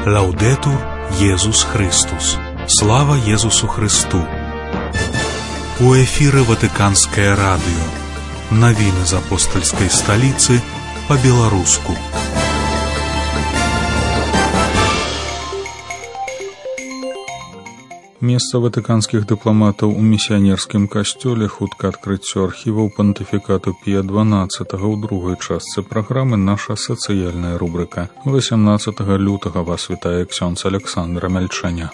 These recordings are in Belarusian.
Лаўдэтур Езус Христус. Слава Езусу Христу. У эфіры Ватыканскае радыё. Навіны з апостальскай сталіцы па-беларуску. Месца ватыканскіх дыпламатаў у місіянерскім касцёле, хутка адкрыццё архіваў пантыфікату Пія XII ў другой частцы праграмы наша сацыяльная рубрыка. 18 лютага вас вітае ксёндз Александр Мяльчаня.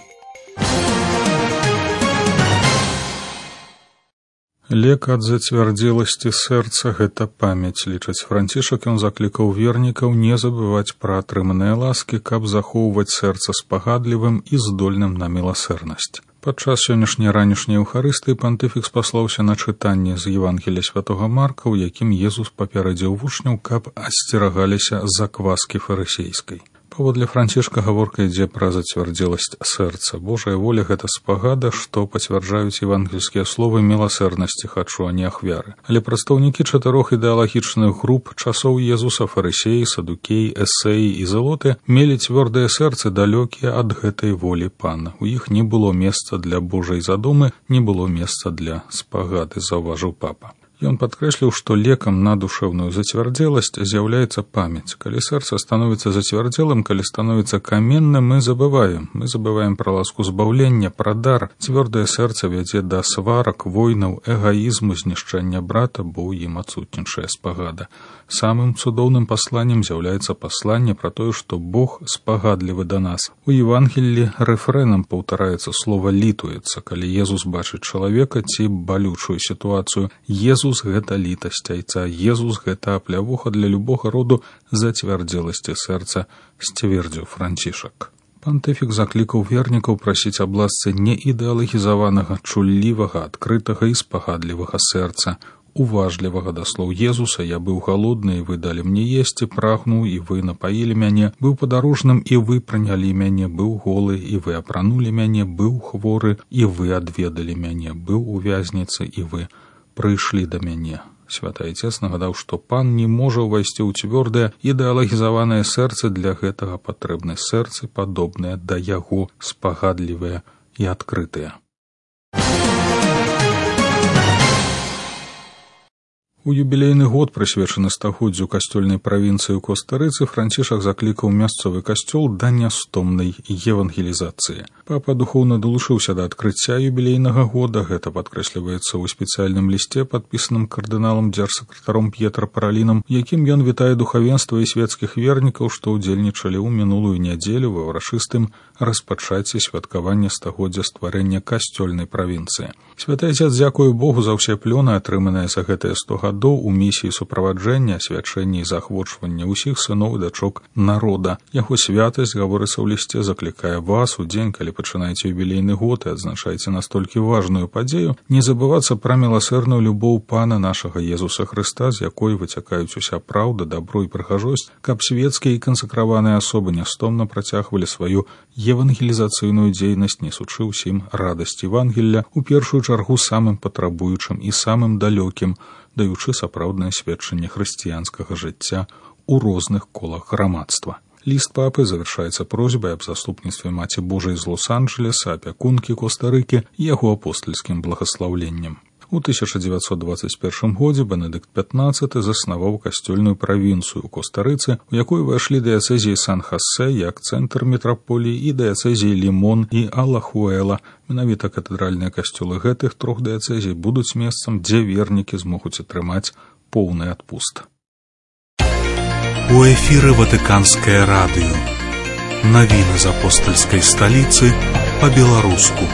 Лек ад зацвярдзеласці сэрца – гэта памяць, лічыць Францішак. Ён заклікаў вернікаў не забываць пра атрыманыя ласкі, каб захоўваць сэрца спагадлівым і здольным на міласэрнасць. Падчас сённяшняй ранішняй еўхарыстыі пантыфік спаслаўся на чытанне з Евангелія святога Марка, у якім Езус папярэдзіў вучняў, каб асцерагаліся закваскі фарысейскай. Паводле Францішка гаворка ідзе пра зацвярдзеласць сэрца. Божая воля – гэта спагада, што пацвярджаюць евангельскія словы міласэрнасці хачу, а не ахвяры. Але прадстаўнікі чатырох ідэалагічных груп часоў Езуса, фарысеі, садукеі, эсеі і зелоты мелі цвёрдыя сэрцы, далёкія ад гэтай волі Пана. У іх не было месца для Божай задумы, не было месца для спагады, заўважыў папа. Ён падкрэсліў, што лекам на душэўную зацвярдзеласць з'яўляецца памяць. Калі сэрца становіцца зацвярдзелым, калі становіцца каменным, мы забываем пра ласку збаўлення, пра дар. Цвёрдае сэрца вядзе да сварак, войнаў, эгаізму, знішчэння брата, бо ў ім адсутнічае спагада. Самым цудоўным пасланнем з'яўляецца пасланне пра тое, што Бог спагадлівы да нас. У Евангеллі рэфрэнам паўтараецца слова «літуецца», калі Езус бачыць чалавека ці балючую сітуацыю. Езус – гэта літасць айца, Езус – гэта аплявуха для любога роду зацвярдзеласці сэрца, сцвердзіў Францішак. Пантыфік заклікаў вернікаў прасіць аб ласцы не ідэалагізаванага, чуллівага, адкрытага і спагадлівага сэрца, уважлівага да слоў Езуса. Я быў галодны, і вы далі мне есці, прагнуў, і вы напаілі мяне, быў падарожным, і вы прынялі мяне, быў голы, і вы апранулі мяне, быў хворы, і вы адведалі мяне, быў у вязніцы, і вы прыйшлі да мяне. Святы Айцец нагадаў, што Пан не можа ўвайсці ў цвёрдае ідэалагізаванае сэрца, для гэтага патрэбны сэрцы, падобныя да яго, спагадлівыя і адкрытыя. У юбілейны год, прысвечаны стагоддзю касцёльнай правінцыі ў Коста-Рыцы, Францішак заклікаў мясцовы касцёл да нястомнай евангелізацыі. Папа духоўна далучыўся да адкрыцця юбілейнага года. Гэта падкрэсліваецца ў спецыяльным лісце, падпісаным кардыналам дзяржсакратаром П'етра Паралінам, якім ён вітае духавенства і свецкіх вернікаў, што ўдзельнічалі ў минулую нядзелю ва ўрачыстым распачацці святкавання стагоддзя стварэння касцёльнай правінцыі. Святы Айцец дзякуе Богу за ўсе плёны, атрыманыя за гэтыя 100 гадоў у місіі суправаджэння, асвячэння і заахвочвання ўсіх сыноў і дачок народа. Яго святасць, гаворыцца ў лісце, заклікае вас у дзень, калі пачынаеце юбілейны год і адзначаеце настолькі важную падзею, не забывацца пра міласэрную любоў Пана нашага Езуса Хрыста, з якой выцякаюць уся праўда, дабро і прыгажосць, каб свецкія і кансакраваныя асобы нястомна працягвалі сваю евангелізацыйную дзейнасць, несучы ўсім радасць Евангелля, у першую чаргу самым патрабуючым і самым далёкім, даючы сапраўднае сведчанне хрысціянскага жыцця ў розных колах грамадства. Ліст папы завяршаецца просьбай аб заступніцтве Маці Божай з Лос-Анджелеса, апякункі Коста-Рыкі і яго апостальскім благаслаўленнем. У 1921 годзе Бенедыкт XV заснаваў касцёльную правінцыю ў Коста-Рыцы, у якой увайшлі дыяцэзіі Сан-Хосе як цэнтр метраполіі і дыяцэзіі Лімон і Алахуэла. Менавіта катэдральныя касцёлы гэтых трох дыяцэзій будуць месцам, дзе вернікі змогуць атрымаць поўны адпуст. У эфіры Ватыканскае радыё. Навіны з апостальскай сталіцы па-беларуску.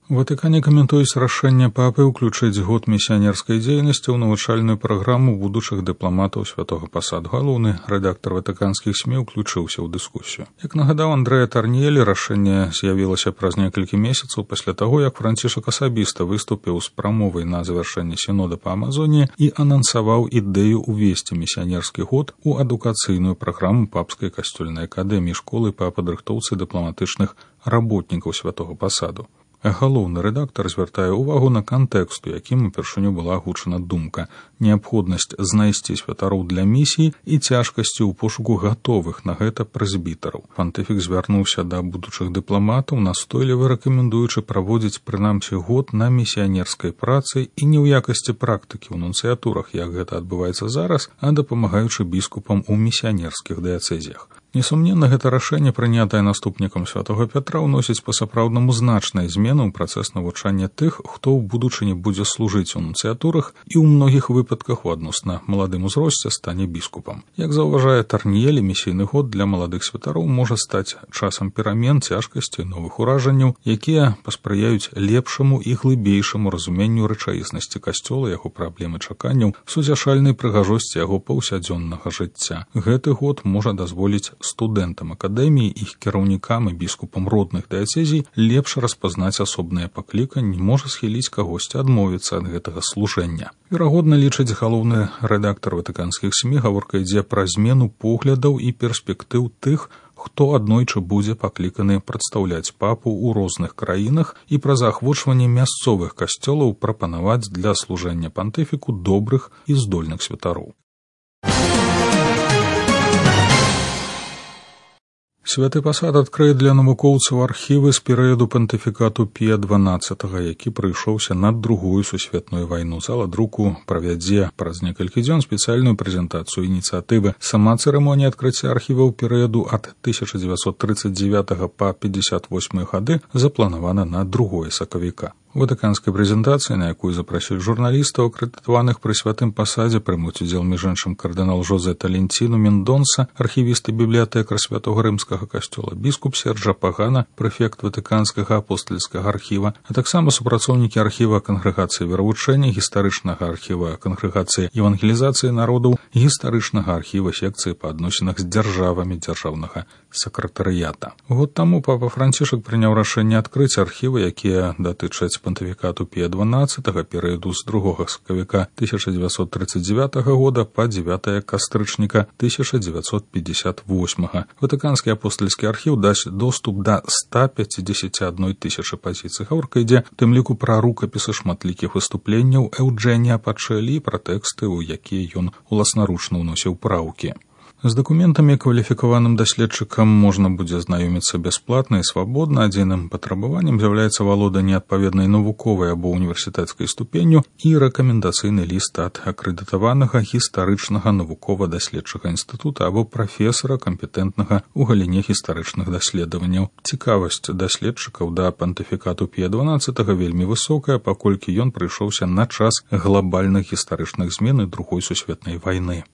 У Ватыкане каментуюць рашэнне папы ўключыць год місіянерскай дзейнасці ў навучальную праграму будучых дыпламатаў святога пасаду. Галоўны рэдактар ватыканскіх СМІ ўключыўся ў дыскусію. Як нагадаў Андрэа Тарньелі, рашэнне з'явілася праз некалькі месяцаў пасля таго, як Францішак асабіста выступіў з прамовай на завяршэнне сінода па Амазоніі і анансаваў ідэю увесці місіянерскі год у адукацыйную праграму папскай касцёльнай акадэміі школы па падрыхтоўцы дыпламатычных работнікаў святога пасаду. Галоўны рэдактар звяртае ўвагу на кантэкст, у якім упершыню была агучана думка, неабходнасць знайсці святароў для місіі і цяжкасці ў пошуку гатовых на гэта прэзбітараў. Пантыфік звярнуўся да будучых дыпламатаў, настойліва рэкамендуючы праводзіць прынамсі год на місіянерскай працы і не ў якасці практыкі ў нунцыятурах, як гэта адбываецца зараз, а дапамагаючы біскупам у місіянерскіх дыяцэзіях. Несумненна, гэта рашэнне, прынятае наступнікам святога Пятра, ўносіць па-сапраўднаму значныя змены ў працэс навучання тых, хто ў будучыні будзе служыць у нунцыятурах і ў многіх выпадках у адносна маладым узросце стане біскупам. Як заўважае Тарніелі, місійны год для маладых святароў можа стаць часам перамен, цяжкасці, новых уражанняў, якія паспрыяюць лепшаму і глыбейшаму разуменню рэчаіснасці касцёла, яго праблемы чаканняў, сузяшальнай прыгажосці яго паўсядзённага жыцця. Гэты год можа дазволіць студэнтам акадэміі, іх кіраўнікам і біскупам родных дыяцэзій лепш распазнаць асобныя пакліканні, можа схіліць кагосьці адмовіцца ад гэтага служэння. Верагодна, лічыць галоўны рэдактар ватыканскіх СМІ, гаворка ідзе пра змену поглядаў і перспектыў тых, хто аднойчы будзе пакліканы прадстаўляць папу ў розных краінах і пра заахвочванне мясцовых касцёлаў прапанаваць для служэння пантыфіку добрых і здольных святароў. Святы пасад адкрые для навукоўцаў архівы з перыяду пантыфікату Пія XII, які прыйшоўся над Другую сусветную вайну. Зала друку правядзе праз некалькі дзён спецыяльную прэзентацыю ініцыятывы. Сама цырымонія адкрыцця архіваў перыяду ад 1939 па 1958 гады запланавана на 2 сакавіка. У ватыканскай прэзентацыі, на якую запрасілі журналістаў, акрэдытаваных пры святым пасадзе, прымуць удзел між іншым кардынал Жозе Таленціну Мендонса, архівіст і бібліятэкар святога рымскага касцёла, біскуп Серджа Пагана, прэфект ватыканскага апостальскага архіва, а таксама супрацоўнікі архіва кангрэгацыі веравучэння, гістарычнага архіва кангрэгацыі евангелізацыі народаў, гістарычнага архіва секцыі па адносінах з дзяржавамі дзяржаўнага сакратарыята. Год таму папа Францішак прыняў рашэнне адкрыць архівы, якія датычаць пантыфікату Пія XII перыяду з 2 сакавіка 1939 года па 9 кастрычніка 1958. Ватыканскі апостальскі архіў дасць доступ да 151 000 пазіцый. Гаворка ідзе у тым ліку пра рукапісы шматлікіх выступленняў Эўджэнія Пачэлі і пра тэксты, у якія ён уласнаручна ўносіў праўкі. З дакументамі кваліфікаваным даследчыкам можна будзе знаёміцца бясплатна і свабодна. Адзіным патрабаваннем з'яўляецца валоданне адпаведнай навуковай або універсітэцкай ступенню і рэкамендацыйны ліст ад акрэдытаванага гістарычнага навукова-даследчага інстытута або прафесара кампетэнтнага ў галіне гістарычных даследаванняў. Цікавасць даследчыкаў да пантыфікату Пія XII вельмі высокая, паколькі ён прыйшоўся на час глабальных гістарычных змен і Другой сусветнай вайны.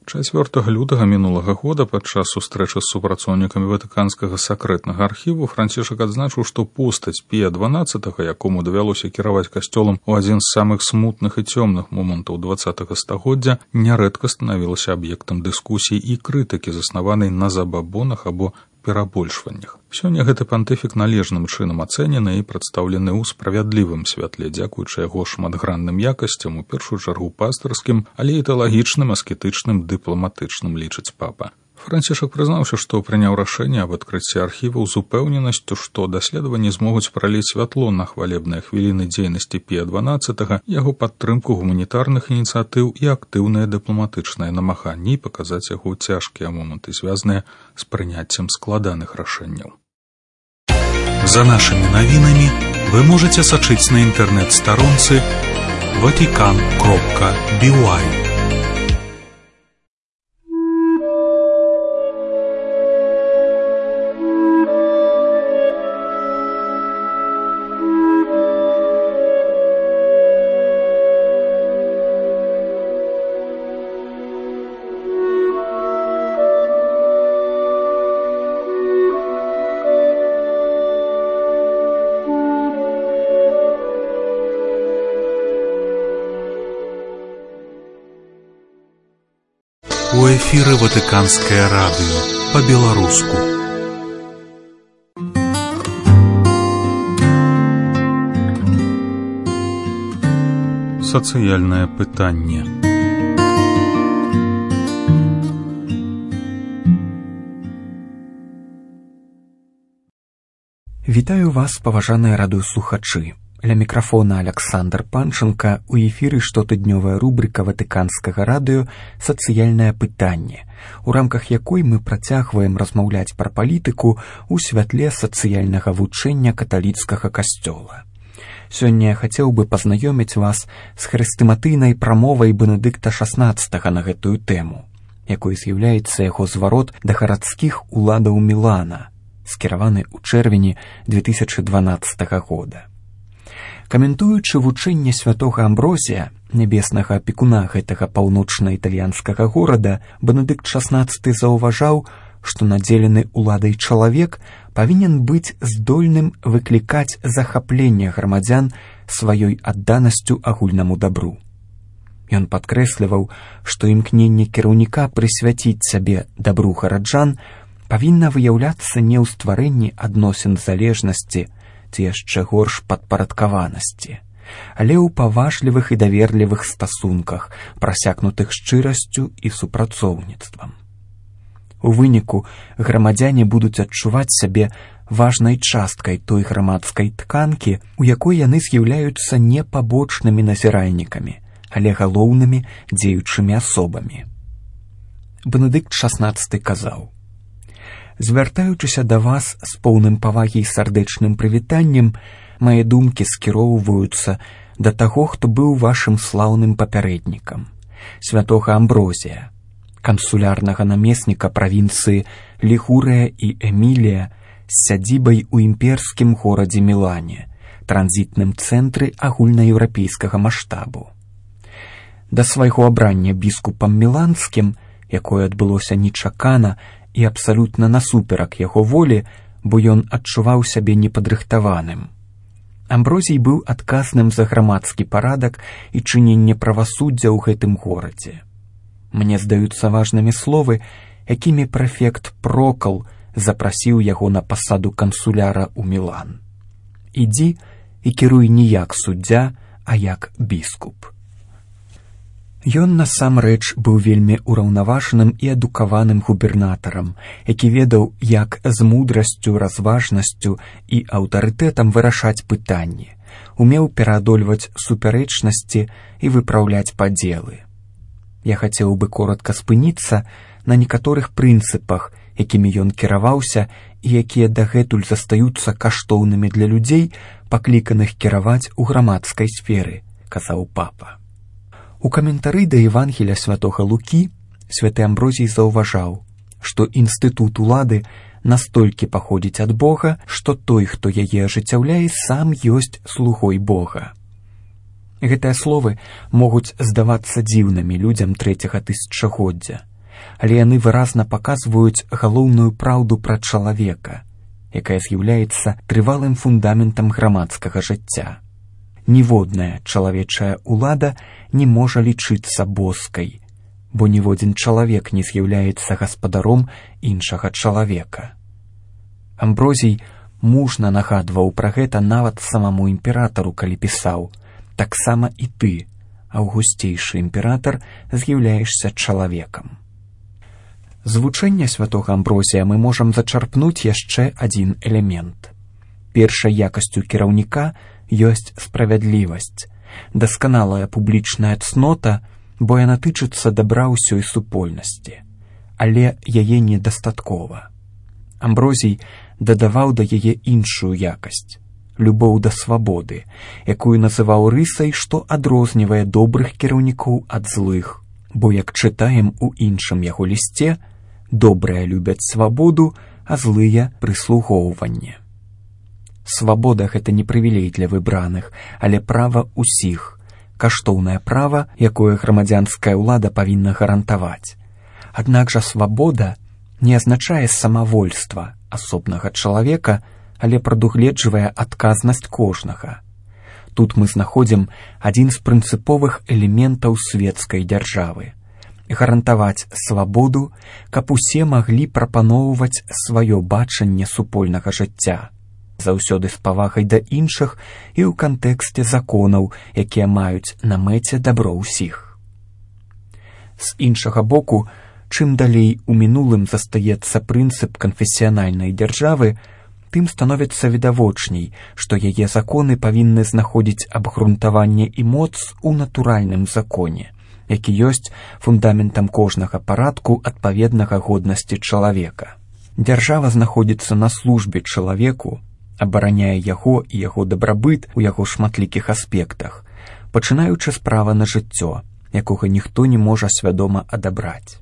4 лютага мінулага года падчас сустрэчы з супрацоўнікамі ватыканскага сакрэтнага архіву Францішак адзначыў, што постаць Пія XII, якому давялося кіраваць касцёлам у адзін з самых смутных і цёмных момантаў 20-го стагоддзя, нярэдка станавілася аб'ектам дыскусій і крытыкі, заснаванай на забабонах або перабольшваннях. Сёння гэты пантыфік належным чынам ацэнены і прадстаўлены ў справядлівым святле, дзякуючы яго шматгранным якасцям, у першую чаргу пастырскім, але і тэалагічным, аскетычным, дыпламатычным, лічыць папа. Францішак прызнаўся, што прыняў рашэнне аб адкрыцці архіваў з упэўненасцю, што даследаванні змогуць праліць святло на хвалебныя хвіліны дзейнасці Пія XII, яго падтрымку гуманітарных ініцыятыў і актыўныя дыпламатычныя намаганні і паказаць яго цяжкія моманты, звязаныя з прыняццем складаных рашэнняў. За нашими навінамі вы можете сачыць на інтэрнэт-старонцы vatican.by. У эфіры Ватыканскае радыё па-беларуску. Сацыяльнае пытанне. Вітаю вас, паважаныя радыёслухачы. Ля мікрафона Аляксандр Панченка, у эфіры штотыднёвая рубрика Ватыканскага радыё «Сацыяльнае пытанне», у рамках якой мы працягваем размаўляць пра палітыку ў святле сацыяльнага вучэння каталіцкага касцёла. Сёння я хацеў бы пазнаёміць вас з хрэстыматыйнай прамовай Бенедыкта XVI на гэтую тэму, якой з'яўляецца яго зварот да гарадскіх уладаў Мілана, скіраваны ў чэрвені 2012 года. Каментуючы вучэнне святога Амброзія, нябеснага апекуна гэтага паўночна-італьянскага горада, Бенедыкт XVI заўважаў, што надзелены уладай чалавек павінен быць здольным выклікаць захапленне грамадзян сваёй адданасцю агульнаму дабру. Ён падкрэсліваў, што імкненне кіраўніка прысвяціць сябе дабру гараджан павінна выяўляцца не ў стварэнні адносін залежнасці ці яшчэ горш падпарадкаванасці, але ў паважлівых і даверлівых стасунках, прасякнутых шчырасцю і супрацоўніцтвам. У выніку грамадзяне будуць адчуваць сябе важнай часткай той грамадскай тканкі, у якой яны з'яўляюцца не пабочнымі назіральнікамі, але галоўнымі дзеючымі асобамі. Бенедыкт XVI казаў: «Звяртаючыся да вас з поўным павагі і сардэчным прывітаннем, мае думкі скіроўваюцца да таго, хто быў вашым слаўным папярэднікам, святога Амброзія, кансулярнага намесніка правінцыі Лігурыя і Эмілія з сядзібай у імперскім горадзе Мілане, транзітным цэнтры агульнаеўрапейскага маштабу. Да свайго абрання біскупам міланскім, якое адбылося нечакана і абсалютна насуперак яго волі, бо ён адчуваў сябе непадрыхтаваным. Амброзій быў адказным за грамадскі парадак і чыненне правасуддзя ў гэтым горадзе. Мне здаюцца важнымі словы, якімі прэфект Прокал запрасіў яго на пасаду кансуляра ў Мілан. Ідзі і кіруй не як суддзя, а як біскуп». Ён насамрэч быў вельмі ўраўнаважаным і адукаваным губернатарам, які ведаў, як з мудрасцю, разважнасцю і аўтарытэтам вырашаць пытанні, умеў пераадольваць супярэчнасці і выпраўляць падзелы. Я хацеў бы коротка спыніцца на некаторых прынцыпах, якімі ён кіраваўся і якія дагэтуль застаюцца каштоўнымі для людзей, пакліканых кіраваць у грамадскай сферы, казаў папа. У каментары да Евангелія святога Лукі святы Амброзій заўважаў, што інстытут улады настолькі паходзіць ад Бога, што той, хто яе ажыццяўляе, сам ёсць слугой Бога. Гэтыя словы могуць здавацца дзіўнымі людзям трэцяга тысячагоддзя, але яны выразна паказваюць галоўную праўду пра чалавека, якая з'яўляецца трывалым фундаментам грамадскага жыцця. Ніводная чалавечая улада не можа лічыцца боскай, бо ніводзін чалавек не з'яўляецца гаспадаром іншага чалавека. Амброзій мужна нагадваў пра гэта нават самому імператару, калі пісаў: «Таксама і ты, аўгусцейшы імператар, з'яўляешся чалавекам». З вучэння святога Амброзія мы можам зачарпнуць яшчэ адзін элемент. Першай якасцю кіраўніка ёсць справядлівасць, дасканалая публічная цнота, бо яна тычыцца дабра ўсёй супольнасці, але яе недастаткова. Амброзій дадаваў да яе іншую якасць — любоў да свабоды, якую называў рысай, што адрознівае добрых кіраўнікоў ад злых, бо, як чытаем у іншым яго лісце, добрыя любяць свабоду, а злыя — прыслугоўванне. Свабода — гэта не прывілей для выбраных, але права ўсіх, каштоўнае права, якое грамадзянская ўлада павінна гарантаваць. Аднак жа свабода не азначае самавольства асобнага чалавека, але прадугледжвае адказнасць кожнага. Тут мы знаходзім адзін з прынцыповых элементаў светскай дзяржавы — гарантаваць свабоду, каб усе маглі прапаноўваць сваё бачанне супольнага жыцця, заўсёды з павагай да іншых і ў кантэксце законаў, якія маюць на мэце дабро ўсіх. З іншага боку, чым далей у мінулым застаецца прынцып канфесіянальнай дзяржавы, тым становіцца відавочней, што яе законы павінны знаходзіць абгрунтаванне і моц у натуральным законе, які ёсць фундаментам кожнага парадку адпаведнага годнасці чалавека. Дзяржава знаходзіцца на службе чалавеку, абараняе яго і яго дабрабыт у яго шматлікіх аспектах, пачынаючы з права на жыццё, якога ніхто не можа свядома адабраць.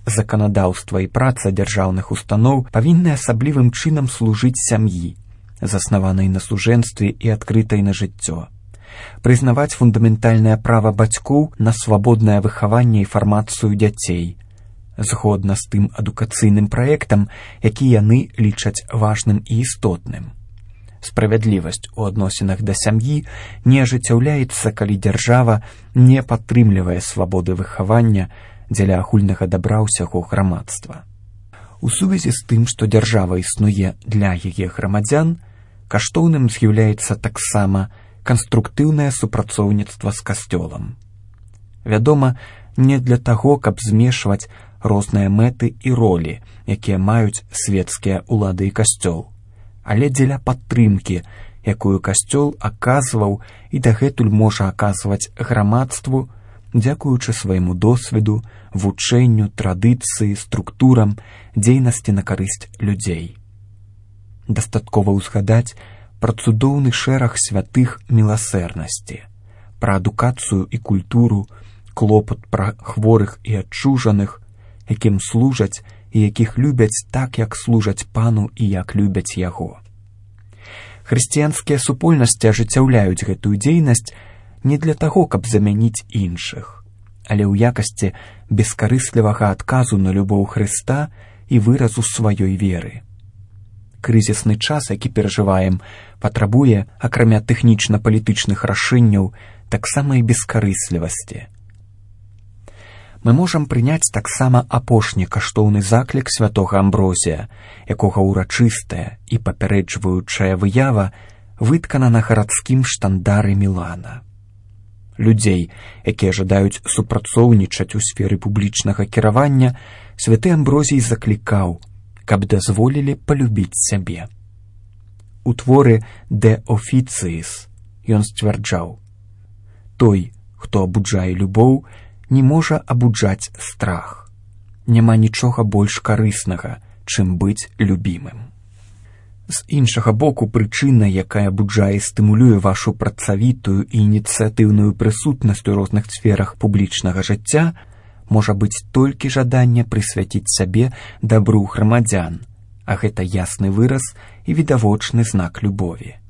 Заканадаўства і праца дзяржаўных устаноў павінны асаблівым чынам служыць сям'і, заснаванай на сужэнстве і адкрытай на жыццё, прызнаваць фундаментальнае права бацькоў на свабоднае выхаванне і фармацыю дзяцей, згодна з тым адукацыйным праектам, які яны лічаць важным і істотным. Справядлівасць у адносінах да сям'і не ажыццяўляецца, калі дзяржава не падтрымлівае свабоды выхавання дзеля агульнага дабра ўсяго грамадства. У сувязі з тым, што дзяржава існуе для яе грамадзян, каштоўным з'яўляецца таксама канструктыўнае супрацоўніцтва з касцёлам. Вядома, не для таго, каб змешваць розныя мэты і ролі, якія маюць свецкія ўлады і касцёл, але дзеля падтрымкі, якую касцёл аказваў і дагэтуль можа аказваць грамадству, дзякуючы свайму досведу, вучэнню, традыцыі, структурам, дзейнасці на карысць людзей. Дастаткова ўзгадаць пра цудоўны шэраг святых міласэрнасці, пра адукацыю і культуру, клопат пра хворых і адчужаных, якім служаць і якіх любяць так, як служаць пану і як любяць яго. Хрысціянскія супольнасці ажыццяўляюць гэтую дзейнасць не для таго, каб замяніць іншых, але ў якасці бескарыслівага адказу на любоў Хрыста і выразу сваёй веры. Крызісны час, які перажываем, патрабуе, акрамя тэхнічна-палітычных рашэнняў, таксама і бескарыслівасці. Мы можам прыняць таксама апошні каштоўны заклік святога Амброзія, якога ўрачыстая і папярэджваючая выява выткана на гарадскім штандары Мілана. Людзей, якія жадаюць супрацоўнічаць у сферы публічнага кіравання, святы Амброзій заклікаў, каб дазволілі палюбіць сябе. У творы «De Officiis» ён сцвярджаў: «Той, хто абуджае любоў, не можа абуджаць страх. Няма нічога больш карыснага, чым быць любімым». З іншага боку, прычына, якая абуджае і стымулюе вашу працавітую і ініцыятыўную прысутнасць у розных сферах публічнага жыцця, можа быць толькі жаданне прысвяціць сабе дабру грамадзян, а гэта ясны выраз і відавочны знак любові.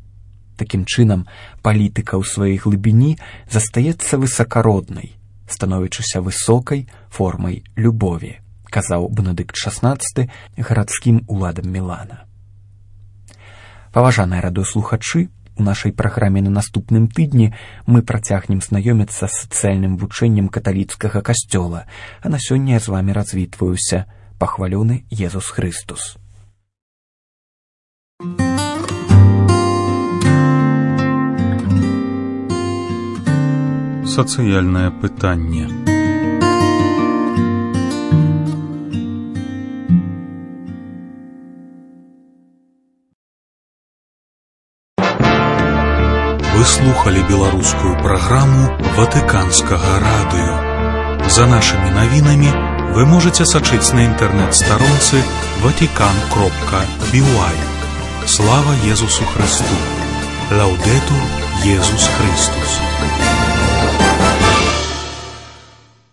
Такім чынам, палітыка ў сваёй глыбіні застаецца высакароднай, становячыся высокай формай любові, казаў Бенедыкт XVI гарадскім уладам Мілана. Паважаныя радыёслухачы, у нашай праграме на наступным тыдні мы працягнем знаёміцца з сацыяльным вучэннем каталіцкага касцёла, а на сёння я з вамі развітваюся. Пахвалёны Езус Хрыстус. Сацыяльнае пытанне. Вы слухали беларускую праграму Ватыканскага радыё. За нашымі навінамі вы можаце сачыць на інтэрнэт-старонцы vatican.by. Слава Езусу Хрысту! Лаўдэтур Езус Христус!